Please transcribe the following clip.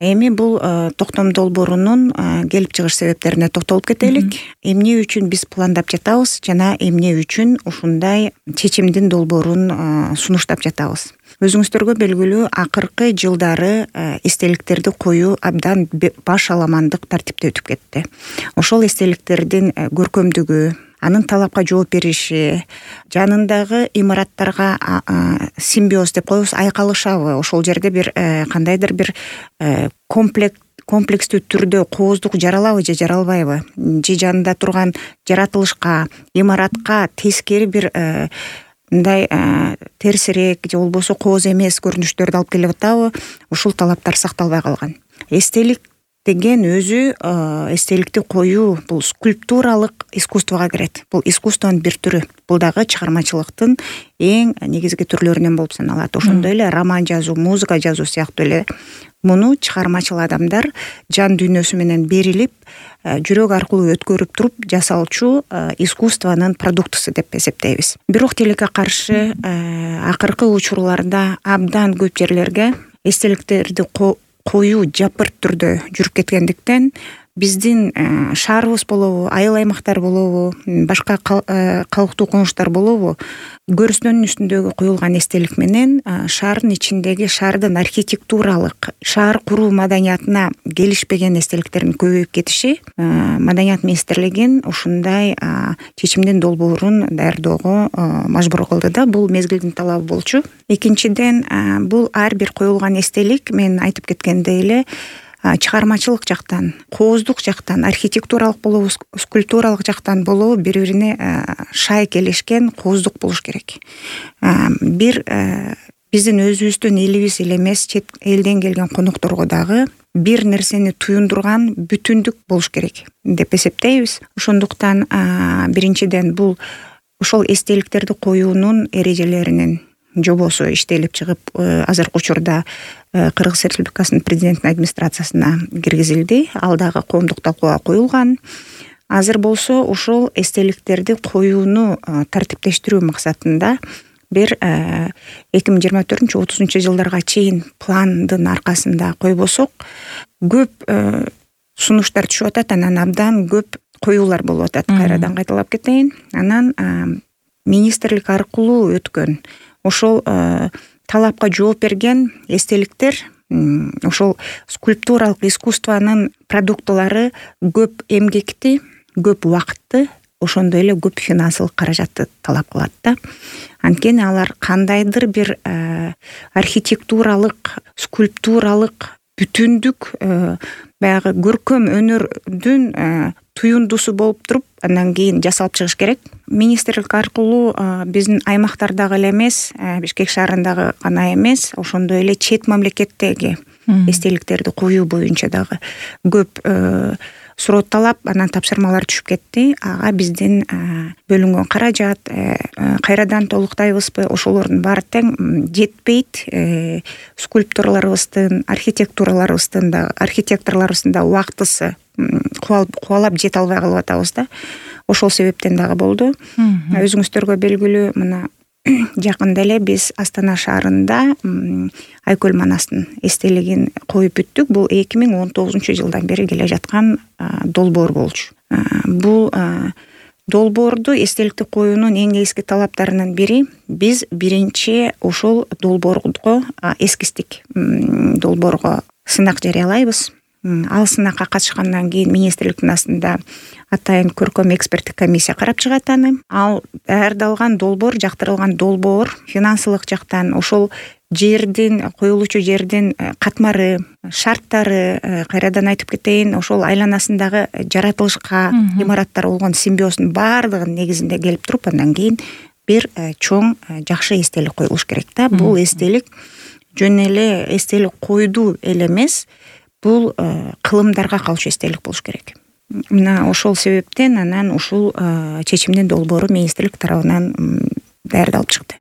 Эми бул токтом долбоорунун келип чыгыш себептерине токтолуп кетелик. Эмне үчүн биз пландап жатабыз жана эмне үчүн ушундай чечимдин долбоорун сунуштап жатабыз. Өзүңүздөргө белгилүү, акыркы жылдары эстеликтерди коюу абдан баш аламандык тартипте өтүп кетти. Ошол эстеликтердин көркөмдүгү, анын талапка жооп бериши, жанындагы имараттарга симбиоз деп коебуз, айкалышабы, ошол жерде бир кандайдыр бир комплекстүү түрдө кооздук жаралабы же жаралбайбы, же жанында турган жаратылышка, имаратка тескери бир мындай терсирээк же болбосо кооз эмес көрүнүштөрдү алып келип атабы, ушул талаптар сакталбай калган. Эстелик деген өзү эстеликти коюу бул скульптуралык искусствого кирет. Бул искусствонун бир түрү. Бул дагы чыгармачылыктын эң негизги түрлөрүнөн болуп саналат. Ошондой эле роман жазуу, музыка жазуу сыяктуу эле муну чыгармачыл адамдар жан дүйнөсү менен берилип, жүрөк аркылуу өткөрүп туруп жасалчу искусствонун продуктусу деп эсептейбиз. Бирок тилекке каршы акыркы учурларда абдан көп жерлерге эстеликтерди коюу жапырт түрдө жүрүп кеткендиктен биздин шаарыбыз болобу, айыл аймактар болобу, башка калктуу конуштар болобу, көрүстөнүн үстүндөгү коюлган эстелик менен шаардын ичиндеги шаардын архитектуралык, шаар куруу маданиятына келишпеген эстеликтердин көбөйүп кетиши маданият министрлигин ушундай чечимдин долбоорун даярдоого мажбур кылды да. Бул мезгилдин талабы болчу. Экинчиден, бул ар бир коюлган эстелик, мен айтып кеткендей эле, чыгармачылык жактан, кооздук жактан, архитектуралык болобу, скульптуралык жактан болобу бири-бирине шай келишкен кооздук болуш керек. Бир биздин өзүбүздүн элибиз эле эмес, чет элден келген конокторго дагы бир нерсени туюндурган бүтүндүк болуш керек деп эсептейбиз. Ошондуктан биринчиден бул ошол эстеликтерди коюунун эрежелеринин жобосу иштелип чыгып, азыркы учурда Кыргыз Республикасынын президенттин администрациясына киргизилди. Ал дагы коомдук талкууга коюлган. Азыр болсо ошол эстеликтерди коюуну тартиптештирүү максатында бир 2024-30 жылдарга чейин пландын аркасында койбосок, көп сунуштар түшүп атат, анан абдан көп коюулар болуп атат. Кайрадан кайталап кетейин. Анан министрлик аркылуу өткөн ошол талапка жооп берген эстеликтер, ошол скульптуралык искусствонун продуктылары көп эмгекти, көп убакытты, ошондой эле көп финансылык каражатты талап кылат да. Анткени алар кандайдыр бир архитектуралык, скульптуралык бүтүндүк, баягы көркөм өнөрдүн туюндусу болуп туруп, андан кийин жасалып чыгыш керек. Министрлик аркылуу биздин аймактардагы эле эмес, Бишкек шаарындагы гана эмес, ошондой эле чет мамлекеттеги эстеликтерди коюу боюнча дагы көп суроо талап, анан тапшырмалар түшүп кетти. Ага биздин бөлүнгөн каражат кайрадан толуктайбызбы, ошолордун баары тең жетпейт. Скульпторлорубуздун, архитекторлорубуздун да убактысы кубалап жете албай калып атабыз да. Ошол себептен дагы болду. Өзүңүздөргө белгилүү, мына жакында эле биз Астана шаарында Айкөл Манастын эстелигин коюп бүттүк. Бул 2019 жылдан бери келе жаткан долбоор болчу. Бул долбоорду, эстеликти коюунун эң негизги талаптарынын бири, биз биринчи ошол долбоорго эскиздик долбоорго сынак жарыялайбыз. Ал сынакка катышкандан кийин министрликтин астында атайын көркөм эксперттик комиссия карап чыгат аны. Ал даярдалган долбоор, жактырылган долбоор финансылык жактан, ошол жердин, коюлуучу жердин катмары, шарттары, кайрадан айтып кетейин, ошол айланасындагы жаратылышка, имараттар болгон симбиоздун баардыгынын негизинде келип туруп, андан кийин бир чоң жакшы эстелик коюлуш керек да. Бул эстелик жөн эле эстелик койду эле эмес, бул кылымдарга калчу эстелик болуш керек. Мына ошол себептен анан ушул чечимдин долбоору министрлик тарабынан даярдалып чыкты.